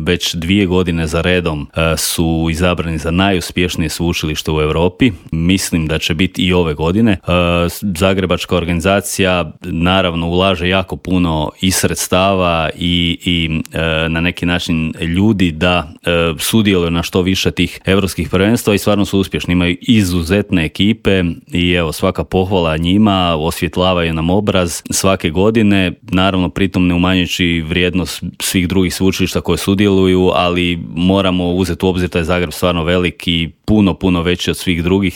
već 2 godine za redom su izabrani za najuspješnije sveučilište u Europi. Mislim da će biti i ove godine. Zagrebačka organizacija naravno ulaže jako puno i sredstava i na neki način ljudi da sudjeluju na što više tih europskih prvenstva i stvarno su uspješni. Imaju izuzetne ekipe i evo svaka pohvala njima, osvjetlavaju nam obraz svake godine, naravno pritom ne umanjujući vrijednost svih drugih sveučilišta koje sudjeluju, ali moramo uzeti u obzir da je Zagreb stvarno velik i puno veći od svih drugih,